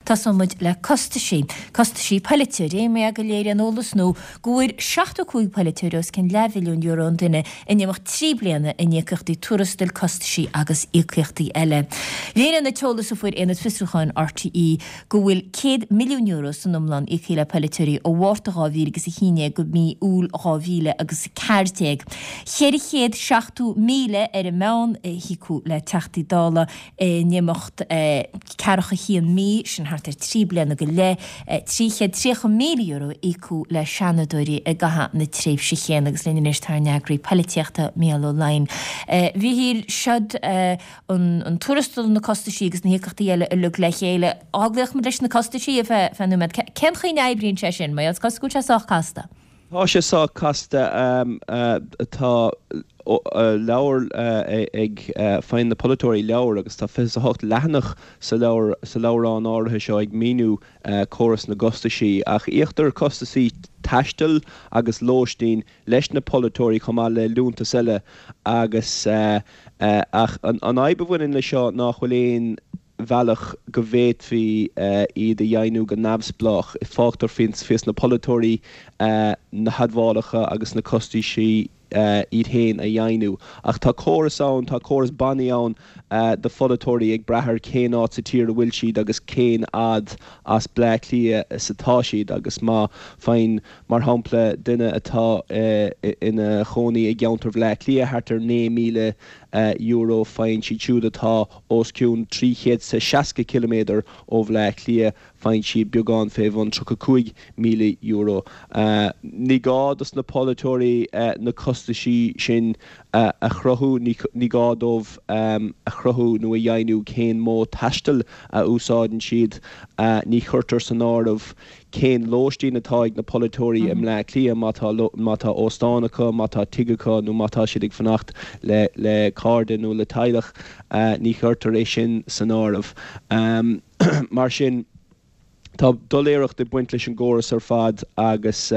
Tosóidh muid le costaisí. Costaisí poiliteoirí, mar go léiríonn eolas nua go bhfuair 75 poiliteoir os cionn leathmhilliún euro an duine in imeacht 3 bliana in íocaíochtaí tuarastail, costaisí agus íocaíochtaí eile. Léiríonn an t-eolas a fuair Aonad Fiosrúcháin RTÉ go bhfuil €100 milliún san iomlán íoctha le poiliteoirí ó Mhárta 2011 go mí Iúil 2014. 470,000 ar an meán a híocadh le Teachtaí Dála in imeacht ceathracha haon mí, sin thart ar 3 bliana go leith. €330,000 a íocadh le Seanadóirí i gcaitheamh na tréimhse chéanna agus linn anois tá ár n-eagraí poilitíochta, Mícheál Ó Laighin. A Mhíchíl, siod an tuarastal, na costaisí agus na híocaíochtaí eile uilig le chéile. Dá nglacfadh muid leis na costaisí ar feadh nóiméad, cén chaoi a n-oibríonn sé sin? Mar is cosúil go bhfuil sé sách casta. Tá sé sách casta. Tá leabhar ag, faigheann na polaiteoirí leabhar agus tá 28 leathanach sa leabhar, sa leabhrán áirithe seo ag míniú córas na gcostaisí. Ach íoctar costaisí taistil agus lóistín leis na polaiteoirí chomh maith le liúntais eile agus ach an fhadhb a bhaineann leis seo nach bhfuil aon bhealach go bhféadfaí iad a dheimhniú go neamhspleách. Fágtar faoi na polaiteoirí na hadmhálacha agus na costaisí iad féin a dheimhniú. Ach tá córas ann, tá córas bannaí ann do pholaiteoirí ag brath ar cén áit sa tír a bhfuil siad agus cén fhad as Bleá Cliath is atá siad agus má faigheann, mar shampla, duine atá ina chónaí i gceantar Bhleá Cliath thart ar €9,000, faigheann siad siúd atá os cionn 360 ciliméadar ó Bhleá Cliath, faigheann siad beagán fé bhun €35,000. Ní gá dos na polaiteoirí na costaisí sin a chruthú, ní gá dóibh a chruthú nó a dheimhniú cén modh taistil a úsáideann siad. Ní chuirtear san áireamh cén lóistín atá ag na polaiteoirí i mBleá Cliath, má tá má tá óstán acu, má tá tigh acu nó má tá siad ag fanacht le le cairde nó le teaghlach, ní chuirtear é sin san áireamh. Mar sin, tá doiléireacht ag baint leis an gcóras ar fad agus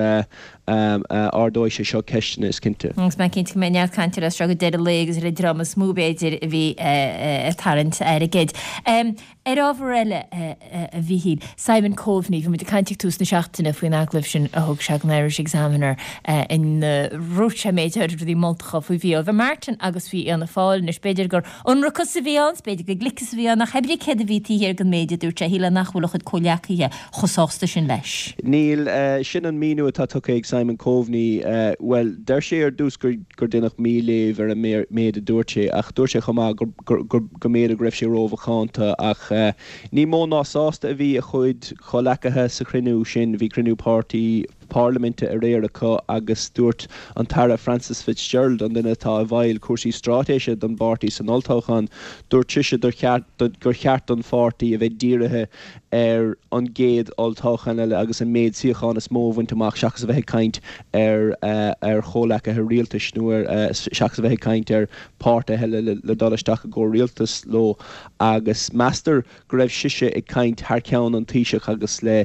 ardóidh sé seo ceisteanna, is cinnte. Agus mé cinnte go mbeidh neart cainte air as seo go deireadh an lae agus ar an dream is mó, b'fhéidir, a bhí ag tarraingt airgid. Ar ábhar eile, a Mhíchíl, Simon Coveney, bhí muid ag caint ag tús na seachtaine faoin agallamh sin a thug sé don Irish Examiner ina ndúirt sé méid áirid rudaí moltacha faoi Mhícheál Martin agus faoi Fhianna Fáil. Anois, b'fhéidir gur ionracas a bhí ann, 's b'fhéidir gur gliceas a bhí ann, ach pé ar bith céard a bhí taobh thiar den méid a dúirt sé, shílfeá nach bhfuil a chuid comhghleacaithe chomh sásta sin leis. Níl. Sin an míniú atá tugtha ag Simon Coveney. Bhuel, deir sé ar dtús gur gur deineadh míléamh ar an méid a dúirt sé, ach dúirt sé chomh maith gur go mb'fhéidir go raibh sé rómhacánta. Ach ní mó ná sásta a bhí a chuid comhleacaithe sa chruinniú sin. Bhí cruinniú páirtí parlaiminte aréir acu agus dúirt an tAire Frances Fitzgerald, an duine atá i bhfeighil cúrsaí straitéise don bpáirtí san olltoghchán, dúirt sise gur cheart don pháirtí a bheith dírithe ar an gcéad olltoghchán eile agus an méid suíochán is mó a bhaint amach seachas a bheith ag caint ar ar chomhleacaithe rialtais nó ar seachas a bheith ag caint ar pháirtithe eile le dul isteach i gcomhrialtas leo agus meastar go raibh sise ag caint thar ceann an Taoiseach agus le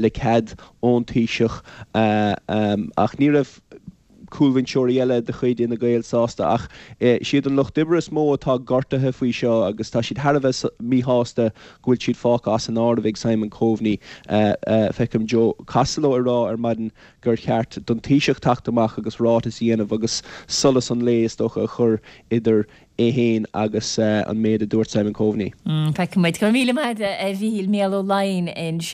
le cead ón Taoiseach ach ní raibh cúlbhinseoirí eile de chuid Fhine Gael sásta ach siad an Lucht Oibre is mó atá gortaithe faoi seo agus tá siad thar a bheith míshásta go bhfuil siad fágtha as an áireamh ag Simon Coveney. Feicim Joe Costello ag rá ar maidin gur cheart don Taoiseach teacht amach agus ráiteas a dhéanamh agus solas an lae, is dócha, a chur idir é féin agus an méid a dúirt Simon Coveney. Feicfidh muid. Go raibh míle maith agat, a Mhíchíl. Mícheál Ó Laighin.